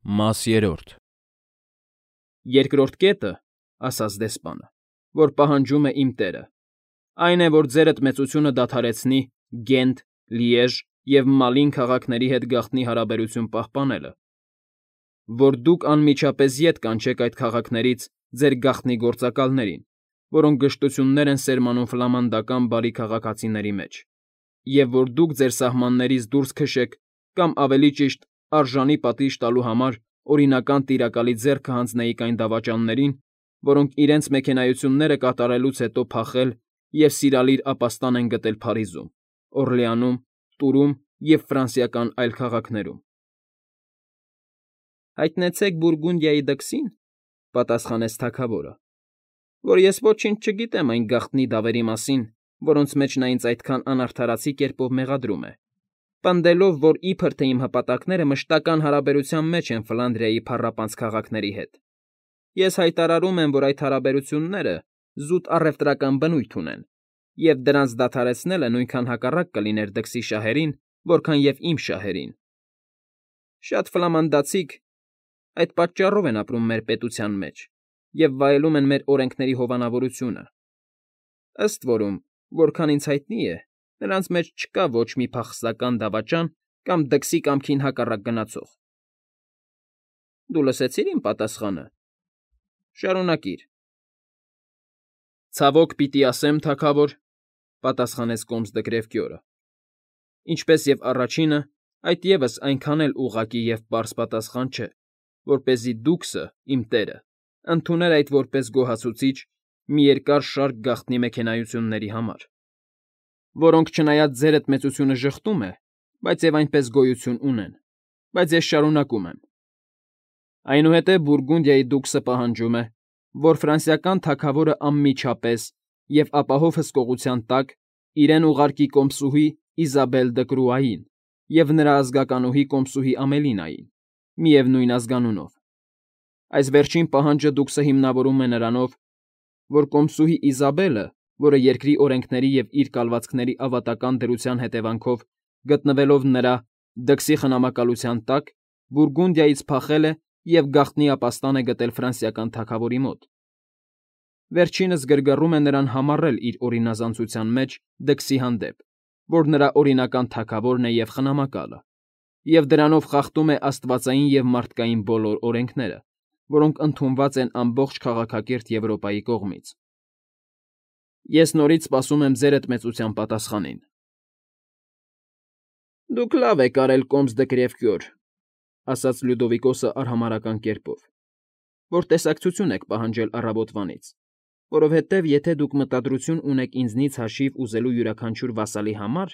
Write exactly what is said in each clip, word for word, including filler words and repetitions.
Մաս երրորդ Երկրորդ կետը, ասաց դեսպանը, որ պահանջում է իմ տերը, այն է, որ ձերդ մեծությունը դադարեցնի Գենտ, Լիեժ և Մալին քաղաքների հետ գաղտնի հարաբերություն պահպանելը, որ դուք անմիջապես ետ կանչեք այդ քաղաքներից ձեր գաղտնի գործակալներին, որոնք գժտություններ են սերմանում ֆլամանդական բարի քաղաքացիների մեջ, և որ դուք ձեր սահմաններից դուրս քշեք կամ ավելի ճիշտ արժանի պատիժ տալու համար օրինական տիրակալի ձեռքը հանձնեիք այն դավաճաններին, որոնք իրենց մեքենայությունները կատարելուց հետո փախել և սիրալիր ապաստան են գտել Փարիզում, Օռլեանում, Տուրում և ֆրանսիական այլ քաղաքներում։ ֊ Հայտնեցեք Բուրգունդիայի դքսին, ֊ պատասխանեց թագավորը, ֊ որ ես ոչինչ չգիտեմ այն գաղտնի դավերի մասին, որոնց մեջ նա ինձ այդքան անարդարացի կերպով մեղադրում է, պնդելով, որ իբր թե իմ հպատակները մշտական հարաբերության մեջ են Ֆլանդրիայի փառապանծ քաղաքների հետ։ Ես հայտարարում եմ, որ այդ հարաբերությունները զուտ առևտրական բնույթ ունեն, և դրանց դադարեցնելը նույնքան հակառակ կլիներ դքսի շահերին, որքան և իմ շահերին։ Շատ ֆլամանդացիք այդ պատճառով են ապրում մեր պետության մեջ և վայելում են մեր օրենքների հովանավորությունը։ Ըստ որում, որքան ինձ հայտնի է, նրանց մեջ չկա ոչ մի փախստական դավաճան կամ դքսի կամքին հակառակ գնացող։ Դու լսեցի՞ր իմ պատասխանը։ Շարունակիր։ ֊ Ցավոք պիտի ասեմ, թագավոր, ֊ պատասխանեց կոմսդկրև կյորը, ինչպես և առաջինը, այդ ևս այնքան էլ ուղղակի և պարզ պատասխան չէ, որպեսզի դուքսը, իմ տերը, ընդուներ այդ որպես գոհացուցիչ մի երկար շարք գաղտնի մեքենայությունների համար, որոնք, չնայած ձերդ մեծությունը ժխտում է, բայց և այնպես գոյություն ունեն, բայց ես շարունակում եմ։ Այնուհետև Բուրգունդիայի դուքսը պահանջում է, որ ֆրանսիական թագավորը անմիջապես և ապահով հսկողության տակ իրեն ուղարկի կոմսուհի Իզաբել դը Կրուային և նրա ազգականուհի կոմսուհի Ամելինային, միևնույն ազգանունով։ Այս վերջին պահանջը դուքսը հիմնավորում է նրանով, որ կոմսուհի Իզաբելը, որը երկրի օրենքների և իր կալվածքների ավատական դրության հետևանքով գտնվելով նրա՝ դքսի խնամակալության տակ, Բուրգունդիայից փախել է և գաղտնի ապաստան է գտել ֆրանսիական թագավորի մոտ։ Վերջինս գրգռում է նրան համառել իր օրինազանցության մեջ դքսի հանդեպ, որ նրա օրինական թագավորն է և խնամակալը, և դրանով խախտում է աստվածային և մարդկային բոլոր օրենքները, որոնք ընդունված են ամբողջ քաղաքակիրթ Եվրոպայի կողմից։ Ես նորից սպասում եմ ձերդ մեծության պատասխանին։ ֊ Դուք լավ եք արել, կոմսդկրև կյոր, ֊ ասաց Լյուդովիկոսը արհամարհական կերպով, ֊ որ տեսակցություն եք պահանջել առավոտվանից, որովհետև եթե դուք մտադրություն ունեք ինձնից հաշիվ ուզելու յուրաքանչյուր վասալի համար,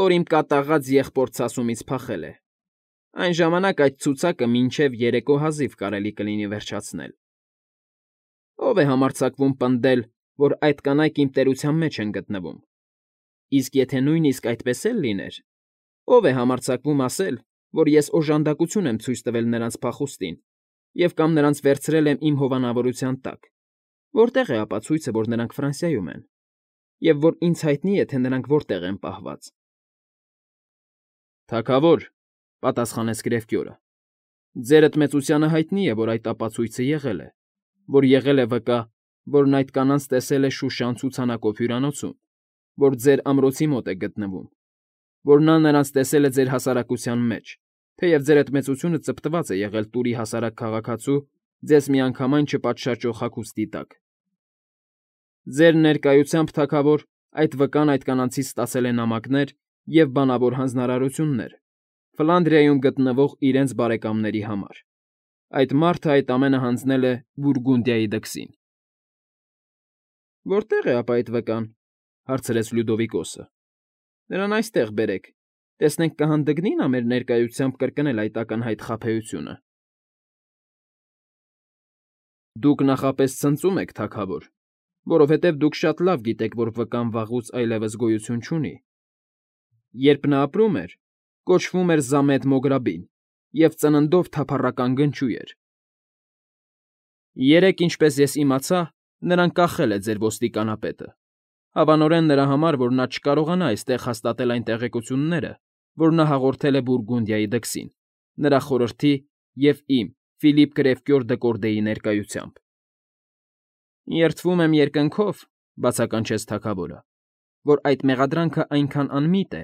որ իմ կատաղած եղբոր֊ցասումից փախել է, այն ժամանակ այդ ցուցակը մինչև երեկո հազիվ կարելի կլինի վերջացնել։ Ո՞վ է համարձակվում պնդել, որ այդ կանայք իմ տերության մեջ են գտնվում։ Իսկ եթե նույնիսկ այդպես էլ լիներ, ո՞վ է համարձակվում ասել, որ ես օժանդակություն եմ ցույց տվել նրանց փախուստին և կամ նրանց վերցրել եմ իմ հովանավորության տակ, որտե՞ղ է ապացույցը, որ նրանք Ֆրանսիայում են, և որ ինձ հայտնի է, թե նրանք որտեղ են պահված։ ֊ Թագավոր, ֊ պատասխանեց գրևկյորը, ֊ ձերդ մեծությանը հայտնի է, որ այդ ապացույցը եղել է, որ եղել է վկա, որն այդ կանանց տեսել է Շուշան ցուցանակով հյուրանոցում, որ ձեր ամրոցի մոտ է գտնվում, որ նա նրանց տեսել է ձեր հասարակության մեջ, թեև ձերդ մեծությունը ծպտված է եղել Տուրի հասարակ քաղաքացու ձեզ միանգամայն չպատշաճող հագուստի տակ։ Ձեր ներկայությամբ, թագավոր, այդ վկան այդ կանանցից ստացել է նամակներ և բանավոր հանձնարարություններ Ֆլանդրիայում գտնվող իրենց բարեկամների համար։ Այդ մարդը այդ ամենը հանձնել է Բուրգունդիայի դքսին։ ֊ Որտե՞ղ է ապա այդ վկան, ֊ հարցրեց Լյուդովիկոսը։ ֊ Նրան այստեղ բերեք, տեսնենք կհանդգնի՞ նա մեր ներկայությամբ կրկնել այդ ակնհայտ խաբեությունը։ ֊ Դուք նախապես ցնծում եք, թագավոր, որովհետև դուք շատ լավ գիտեք, որ վկան վաղուց այլևս գոյություն չունի։ Երբ նա ապրում էր, կոչվում էր Զամետ Մոգրաբին և ծննդով թափառական գնչու էր։ Երեկ, ինչպես ես իմացա, նրան կախել է ձեր ոստիկանապետը, հավանորեն նրա համար, որ նա չկարողանա այստեղ հաստատել այն տեղեկությունները, որ նա հաղորդել է Բուրգունդիայի դքսին, նրա խորհրդի և իմ՝ Ֆիլիպ Կրևկյոր Դկորդեի ներկայությամբ։ ֊ Երդվում եմ երկնքով,֊ բացականչեց թագավորը,֊ որ այդ մեղադրանքն այնքան անմիտ է,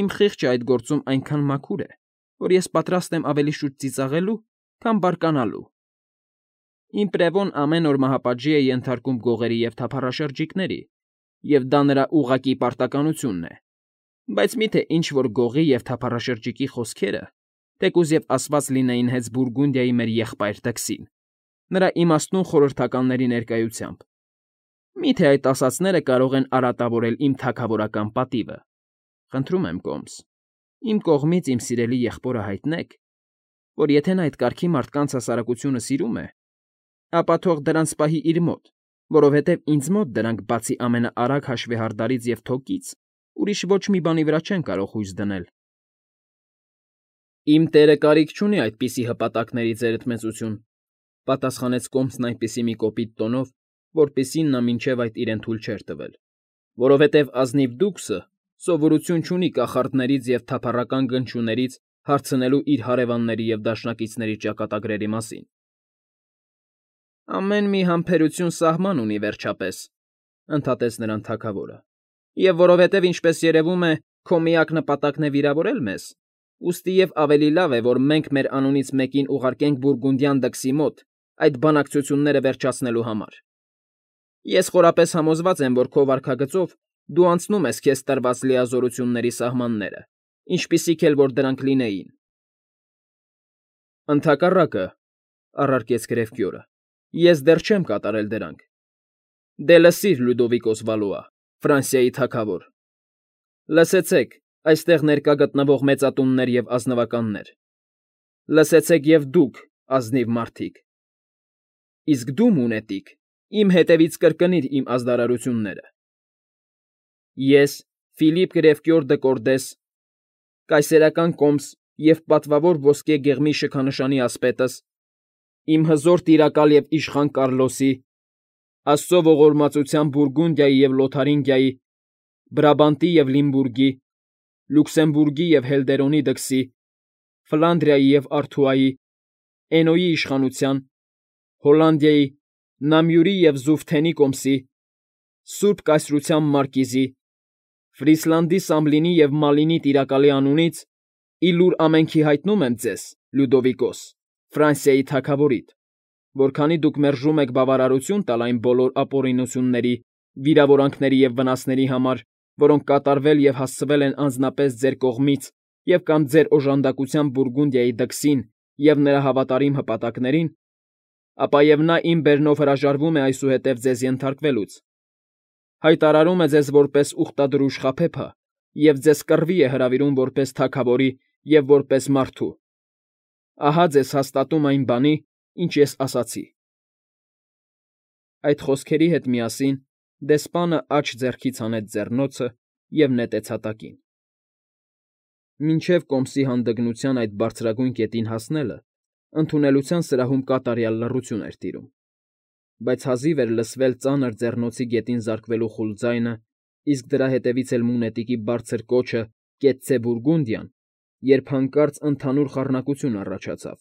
իմ խիղճն այդ գործում այնքան մաքուր է, որ ես պատրաստ եմ ավելի շուտ ծիծաղելու, քան բարկանալու։ Իմ պրևոն ամեն օր մահապատժի է ենթարկում գողերի և թափառաշրջիկների, և դա նրա ուղղակի պարտականությունն է, բայց մի՞թե ինչ֊որ գողի և թափառաշրջիկի խոսքերը, թեկուզ և ասված լինեին հենց Բուրգունդիայի մեր եղբայր դքսին, նրա իմաստուն խորհրդականների ներկայությամբ, մի՞թե այդ ասածները կարող են արատավորել իմ թագավորական պատիվը։ Խնդրում եմ, կոմս, իմ կողմից իմ սիրելի եղբորը հայտնեք, որ եթե նա այդ կարգի մարդկանց հասարակությունը սիրում է, ապա թող դրանց պահի իր մոտ, որովհետև ինձ մոտ դրանք, բացի ամենաարագ հաշվեհարդարից և թոկից, ուրիշ ոչ մի բանի վրա չեն կարող հույս դնել։ ֊ Իմ տերը կարիք չունի այդպիսի հպատակների, ձերդ մեծություն,֊ պատասխանեց կոմսն այնպիսի մի կոպիտ տոնով, որպիսին նա մինչև այդ իրեն թույլ չէր տվել,֊ որովհետև ազնիվ դուքսը սովորություն չունի կախարդներից և թափառական գնչուներից հարցնելու իր հարևանների և դաշնակիցների ճակատագրերի մասին։ ֊ Ամեն մի համբերություն սահման ունի, վերջապես,֊ ընդհատեց նրան թագավորը,֊ և որովհետև, ինչպես երևում է, քո միակ նպատակն է վիրավորել մեզ, ուստի և ավելի լավ է, որ մենք մեր անունից մեկին ուղարկենք Բուրգունդյան դքսի մոտ այդ բանակցությունները վերջացնելու համար։ Ես խորապես համոզված եմ, որ քո վարքագծով դու անցնում ես քեզ տրված լիազորությունների սահմանները, ինչպիսիք էլ որ դրանք լինեին։ ֊ Ընդհակառակը,֊ առարկեց Կրևկյորը,֊ ես դեռ չեմ կատարել դրանք։ Դե լսիր, Լյուդովիկոս Վալուա, Ֆրանսիայի թագավոր, լսեցեք, այստեղ ներկա գտնվող մեծատուններ և ազնվականներ, լսեցեք և դուք, ազնիվ մարդիկ, իսկ դու, մունետիկ, իմ հետևից կրկնիր իմ ազդարարությունները. ես, Ֆիլիպ Կրևկյոր Դկորդես, կայսերական կոմս և պատվավոր ոսկե գեղմի շքանշանի ասպետս, իմ հզոր տիրակալ և իշխան Կարլոսի, աստծո ողորմածության Բուրգունդիայի և Լոթարինգիայի, Բրաբանտի և Լիմբուրգի, Լյուքսեմբուրգի և Հելդերոնի դքսի, Ֆլանդրիայի և Արթուայի, Էնոյի իշխանության, Հոլանդիայի, Նամյուրի և Զուֆթենի կոմսի, Սուրբ Կայսրության մարկիզի, Ֆրիսլանդի Սամլինի և Մալինի տիրակալի անունից ի լուր ամենքի հայտնում եմ ձեզ, Լյուդովիկոս, Ֆրանսիայի թագավորիդ, որ քանի դուք մերժում եք բավարարություն տալ այն բոլոր ապօրինությունների, վիրավորանքների և վնասների համար, որոնք կատարվել և հասցվել են անձնապես ձեր կողմից և կամ ձեր օժանդակությամբ Բուրգունդիայի դքսին և նրա հավատարիմ հպատակներին, ապա և նա իմ բերնով հրաժարվում է այսուհետև ձեզ ենթարկվելուց, հայտարարում է ձեզ որպես ուխտադրուժ խաբեբա և ձեզ կռվի է հրավիրում որպես թագավորի և որպես մարդու։ Ահա ձեզ հաստատում այն բանի, ինչ ես ասացի։ Այդ խոսքերի հետ միասին դեսպանը աջ ձեռքից հանեց ձեռնոցը և նետեց հատակին։ Մինչև կոմսի հանդգնության այդ բարձրագույն կետին հասնելը ընդունելության սրահում կատարյալ լռություն էր տիրում, բայց հազիվ էր լսվել ծանր ձեռնոցի գետին զարկվելու խուլ ձայնը, իսկ դրա հետևից էլ մունետիկի բարձր կոչը «Կեցցե Բուրգունդիան», երբ հանկարծ ընդհանուր խառնակություն առաջացավ։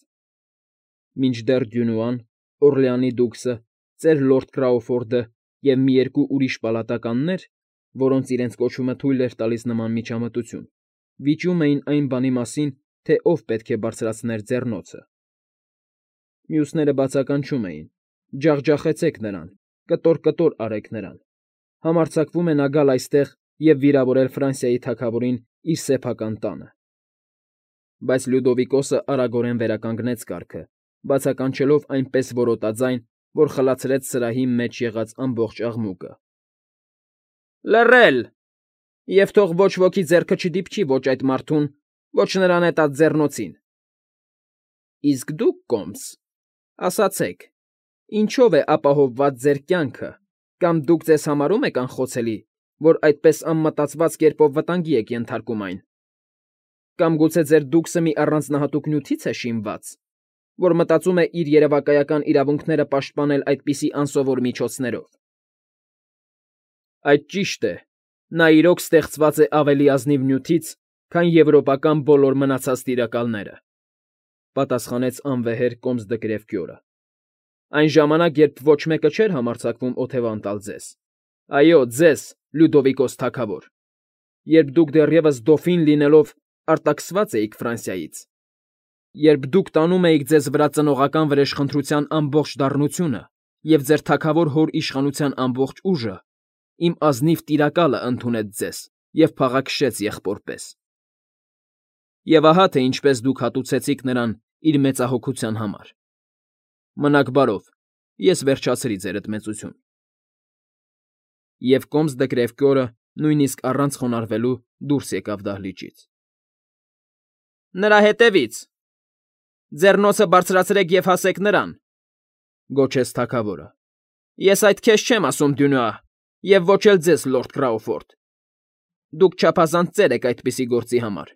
Մինչդեռ Դյունուան, Օռլեանի դուքսը, ծեր լորդ Քրաուֆորդը և մի երկու ուրիշ պալատականներ, որոնց իրենց կոչումը թույլ էր տալիս նման միջամտություն, վիճում էին այն բանի մասին, թե ով պետք է բարձրացներ ձեռնոցը։ Մյուսները բացականչում էին. «Ջախջախեցեք նրան, կտոր֊կտոր արեք նրան, համարձակվում է նա գալ այստեղ և վիրավորել Ֆրանսիայի թագավորին իր սեփական տանը»։ Բայց Լյուդովիկոսը արագորեն վերականգնեց կարգը, բացականչելով այնպես որոտաձայն, որ խլացրեց սրահի մեջ եղած ամբողջ աղմուկը. «Լռել, և թող ոչ ոքի ձեռքը չդիպչի ոչ այդ մարդուն, ոչ նրա նետած ձեռնոցին»։ Իսկ դուք, կոմս, ասացեք, ինչո՞վ է ապահովված ձեր կյանքը, կամ դուք ձեզ համարո՞ւմ եք անխոցելի, որ այդպես անմտածված կերպով վտանգի եք ենթարկում այն։ Կամ գուցե ձեր դուքսը մի առանձնահատուկ նյութի՞ց է շինված, որ մտածում է իր երևակայական իրավունքները պաշտպանել այդպիսի անսովոր միջոցներով։ Այդ ճիշտ է, նա իրոք ստեղծված է ավելի ազնիվ նյութից, քան եվրոպական բոլոր մնացած տիրակալները։ Պատասխանեց անվեհեր կոմս դկրև կյորը։ Այն ժամանակ, երբ ոչ մեկը չէր համարձակվում օթևան տալ ձեզ։ Այո, ձեզ, Լյուդովիկոս թագավոր, երբ դուք դեռևս դոֆին լինելով արտաքսված էիք Ֆրանսիայից, երբ դուք տանում էիք ձեզ վրա ծնողական վրեժխնդրության ամբողջ դառնությունը և ձեր թագավոր հոր իշխանության ամբողջ ուժը, իմ ազնիվ տիրակալը ընդունեց ձեզ և փաղաքշեց եղբոր պես։ Եվ ահա թե ինչպես դուք հատուցեցիք նրան իր մեծահոգության համար։ Մնաք բարով, ես վերջացրի ձերդ մեծություն։ Եվ կոմս դկրև կյորը նույնիսկ առանց խոնարհվելու դուրս եկավ դահլիճից։ Նրա հետևից։ Ձեռնոցը բարձրացրեք և հասեք նրան, գոչեց թագավորը։ Ես այդ քեզ չեմ ասում, Դյունուա, և ոչ էլ ձեզ, լորդ Քրաուֆորդ։ Դուք չափազանց ծեր եք այդպիսի գործի համար։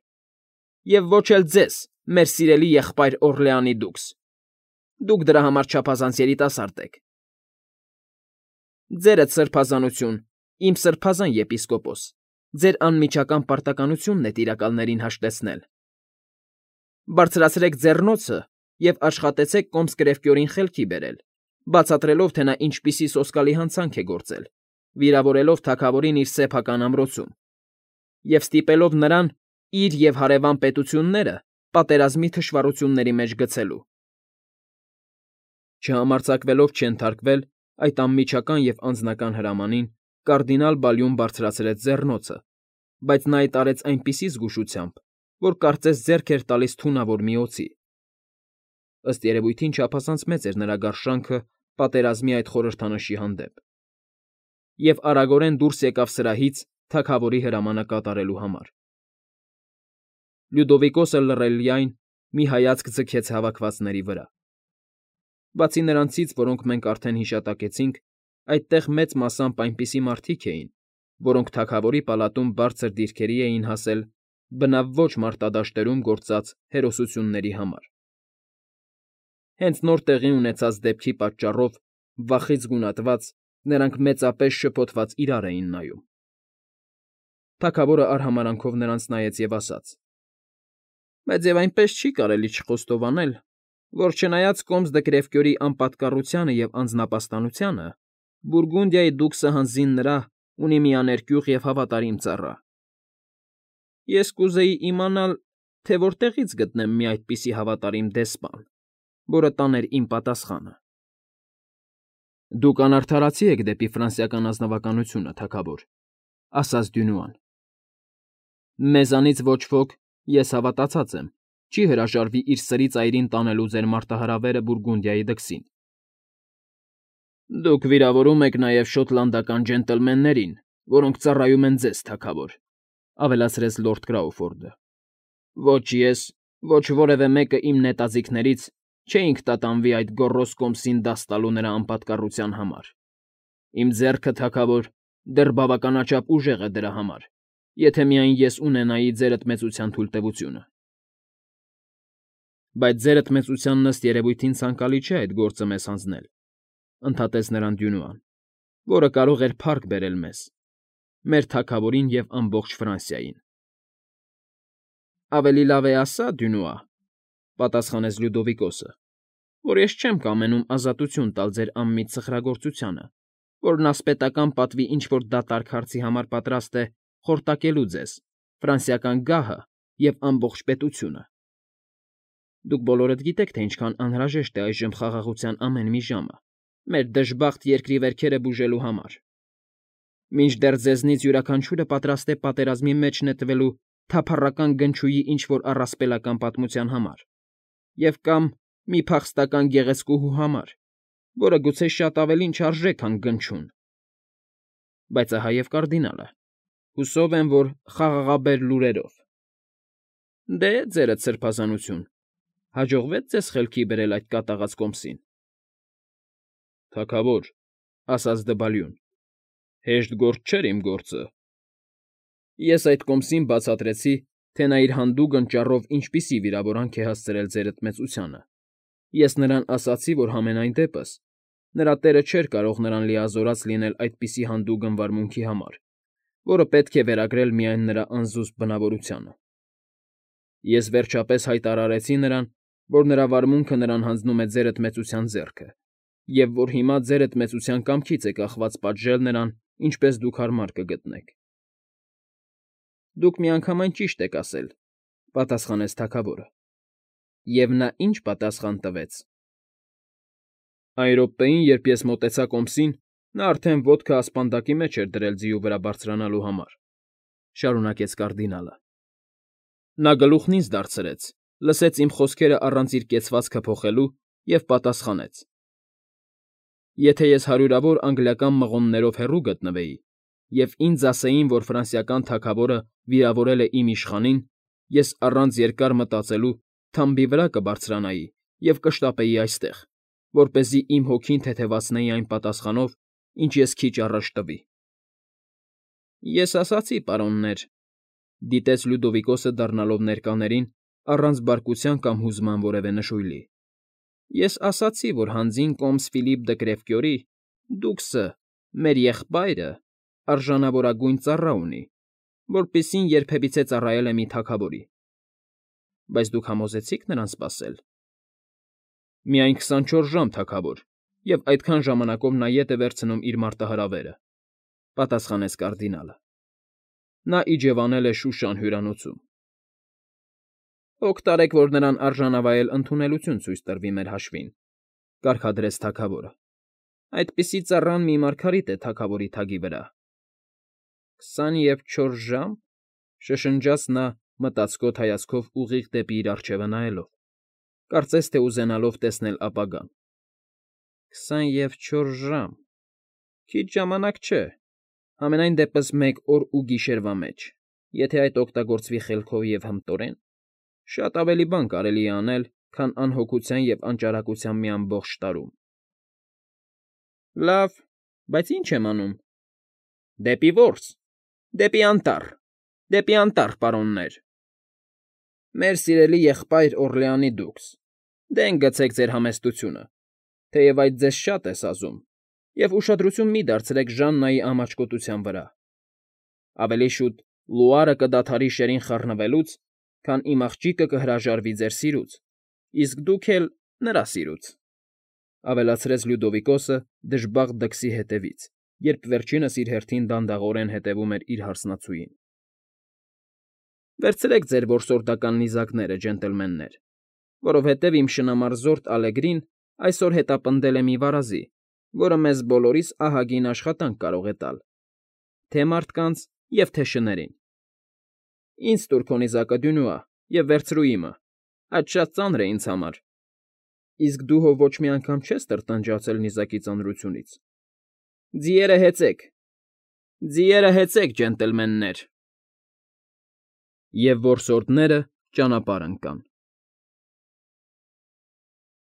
Եվ ոչ էլ ձեզ, մեր սիրելի եղբայր Օռլեանի դուքս։ Դուք դրա համար չափազանց երիտասարդ եք։ Ձերդ սրբազանություն, իմ սրբազան եպիսկոպոս, ձեր անմիջական պարտականությունն է տիրակալներին հաշտեցնել։ Բարձրացրեք ձեռնոցը և աշխատեցեք կոմս կրևկյորին խելքի բերել, բացատրելով, թե նա ինչպիսի սոսկալի հանցանք է գործել, վիրավորելով թագավորին իր սեփական ամրոցում, և ստիպելով նրան իր և հարևան պետությունները պատերազմի թշվառությունների մեջ գցելու։ Չհամարձակվելով չենթարկվել այդ անմիջական և անձնական հրամանին, կարդինալ Բալյուն բարձրացրեց ձեռնոցը, բայց նա այդ արեց այնպիսի զգուշությամբ, որ կարծես ձեռք էր տալիս թունավոր մի օձի։ Ըստ երևույթին չափազանց մեծ էր նրա գարշանքը պատերազմի այդ խորհրդանշի հանդեպ։ Եվ արագորեն դուրս եկավ սրահից թագավորի հրամանը կատարելու համար։ Լյուդովիկոսը լռելիայն մի հայացք ձգեց հավաքվածների վրա։ Բացի նրանցից, որոնք մենք արդեն հիշատակեցինք, այդտեղ մեծ մասամբ այնպիսի մարդիկ էին, որոնք թագավորի պալատում բարձր դիրքերի էին հասել բնավ ոչ մարտադաշտերում գործած հերոսությունների համար։ Հենց նոր տեղի ունեցած դեպքի պատճառով, վախից գունատված, նրանք մեծապես շփոթված իրար էին նայում։ Թագավորը արհամարհանքով նրանց նայեց և ասաց. Բայց և այնպես չի կարելի չխոստովանել, որ չնայած կոմս դկրևկյորի անպատկառությանը և անձնապաստանությանը, Բուրգունդիայի դուքսը հանձին նրա ունի մի աներկյուղ և հավատարիմ ծառա։ Ես կուզեի իմանալ, թե որտեղից գտնեմ մի այդպիսի հավատարիմ դեսպան, որը տաներ իմ պատասխանը։ Դուք անարդարացի եք դեպի ֆրանսիական ազնվականությունը, թագավոր, ասաց Դյունուան։ Մեզանից ոչ ոք, ես հավատացած եմ, չի հրաժարվի իր սրի ծայրին տանելու ձեր մարտահրավերը Բուրգունդիայի դքսին։ Դուք վիրավորում եք նաև շոտլանդական ջենտլմեններին, որոնք ծառայում են ձեզ, թագավոր, ավելացրեց լորդ Քրաուֆորդը։ Ոչ ես, ոչ որևէ մեկը իմ նետաձիգներից չէինք տատանվի այդ գոռոզ կոմսին դաս տալու նրա անպատկառության համար։ Իմ ձեռքը, թագավոր, դեռ բավականաչափ ուժեղ է դրա համար, եթե միայն ես ունենայի ձերդ մեծության թույլտվությունը։ Բայց ձերդ մեծությանն ըստ երևույթին ցանկալի չէ այդ գործը մեզ հանձնել, ընդհատեց նրան Դյունուան, որը կարող էր փառք բերել մեզ, մեր թագավորին և ամբողջ Ֆրանսիային։ Ավելի լավ է ասա, Դյունուա, պատասխանեց Լյուդովիկոսը, որ ես չեմ կամենում ազատություն տալ ձեր անմիտ սխրագործությանը, որն ասպետական պատվի ինչ֊որ դատարկ հարցի համար պատրաստ է խորտակելու ձեզ, ֆրանսիական գահը և ամբողջ պետությունը։ Դուք բոլորդ գիտեք, թե ինչքան անհրաժեշտ է այժմ խաղաղության ամեն մի ժամը մեր դժբախտ երկրի վերքերը բուժելու համար։ Մինչդեռ ձեզնից յուրաքանչյուրը պատրաստ է պատերազմի մեջ նետվելու թափառական գնչուի ինչ֊որ առասպելական պատմության համար, և կամ մի փախստական գեղեցկուհու համար, որը գուցե շատ ավելին չարժե, քան գնչուն։ Բայց ահա և կարդինալը, հուսով եմ, որ խաղաղաբեր լուրերով։ Դե, ձերդ սրբազանություն, հաջողվե՞ց ձեզ խելքի բերել այդ կատաղած կոմսին։ Թագավոր, ասաց Դվալյուն, հեշտ գործ չէր իմ գործը։ Ես այդ կոմսին բացատրեցի, թե նա իր հանդուգն ճառով ինչպիսի վիրավորանք է հասցրել ձերդ մեծությանը։ Ես նրան ասացի, որ համենայն դեպս նրա տերը չէր կարող նրան լիազորած լինել այդպիսի հանդուգն վարմունքի համար, որը պետք է վերագրել միայն նրա անզուսպ բնավորությանը։ Ես վերջապես հայտարարեցի նրան, որ նրա վարմունքը նրան հանձնում է ձերդ մեծության ձեռքը, և որ հիմա ձերդ մեծության կամքից է կախված պատժել նրան, ինչպես դուք հարմար կգտնեք։ ֊ Դուք միանգամայն ճիշտ եք ասել,֊ պատասխանեց թագավորը։ Եվ նա ինչ պատասխան տվեց։ ֊ Այն րոպեին, երբ ես մոտեցա կոմսին, նա արդեն ոտքը ասպանդակի մեջ էր դրել ձիու վրա բարձրանալու համար,֊ շարունակեց կարդինալը։ Նա գլուխն ինձ դարձրեց, լսեց իմ խոսքերը առանց իր կեցվածքը փոխելու և պատասխանեց. «Եթե ես հարյուրավոր անգլիական մղոններով հեռու գտնվեի, և ինձ ասեին, որ ֆրանսիական թագավորը վիրավորել է իմ իշխանին, ես առանց երկար մտածելու թամբի վրա կբարձրանայի և կշտապեի այստեղ, որպեսզի իմ հոգին թեթևացնեի այն պատասխանով, ինչ ես քիչ առաջ տվի»։ ֊ Ես ասացի, պարոններ,֊ դիտեց Լյուդովիկոսը դառնալով ներկաներին առանց բարկության կամ հուզման որևէ նշույլի,֊ ես ասացի, որ հանձին կոմս Ֆիլիպ դը Կրևկյորի, դուքսը, մեր եղբայրը, արժանավորագույն ծառա ունի, որպիսին երբևիցե ծառայել է մի թագավորի։ ֊ Բայց դուք համոզեցի՞ք նրան սպասել։ ֊ Միայն քսանչորս ժամ, թագավոր, և այդքան ժամանակով նա ետ է վերցնում իր մարտահրավերը,֊ պատասխանեց կարդինալը։ Նա իջևանել է Շուշան հյուրանոցում։ ֊ Հոգ տարեք, որ նրան արժանավայել ընդունելություն ցույց տրվի մեր հաշվին,֊ կարգադրեց թագավորը։ Այդպիսի ծառան մի մարգարիտ է թագավորի թագի վրա։ ֊ Քսան և չորս ժամ,֊ շշնջաց նա՝ մտածկոտ հայացքով ուղիղ դեպի իր առջևը նայելով, կարծես թե ուզենալով տեսնել ապագան։ ֊ Քսան և չորս ժամ… Քիչ ժամանակ չէ, համենայն դեպս մեկ օր ու գիշերվա մեջ, եթե այդ օգտագործվի խելքով և հմտորեն, շատ ավելի բան կարելի է անել, քան անհոգության և անճարակության մի ամբողջ տարում։ ֊ Լավ, բայց ի՞նչ եմ անում։ ֊ Դեպի որս, դեպի անտառ, դեպի անտառ, պարոններ… Մեր սիրելի եղբայր Օռլեանի դուքս, դեն գցեք ձեր համեստությունը, թեև այդ ձեզ շատ է սազում, և ուշադրություն մի դարձրեք Ժաննայի ամաչկոտության վրա… Ավելի շուտ լուարը կդադարի շերին խառնվելուց, քան իմ աղջիկը կհրաժարվի ձեր սիրուց, իսկ դուք էլ՝ նրա սիրուց,֊ ավելացրեց Լյուդովիկոսը դժբախտ դքսի հետևից, երբ վերջինս իր հերթին դանդաղորեն հետևում էր իր հարսնացուին։ ֊ Վերցրեք ձեր որսորդական նիզակները, ջենտլմեններ, որովհետև իմ շնամարզորդ Ալեգրին այսօր հետապնդել է մի վարազի, որը մեզ բոլորիս ահագին աշխատանք կարող է տալ, թե՛ մարդկանց և թե՛ շներին։ Ինձ տուր քո նիզակը, Դյունուա, և վերցրու իմը, այդ շատ ծանր է ինձ համար։ Իսկ դու հո ոչ մի անգամ չես տրտնջացել նիզակի ծանրությունից։ Ձիերը հեծեք, ձիերը հեծեք, ջենտլմեններ… Եվ որսորդները ճանապարհ ընկան։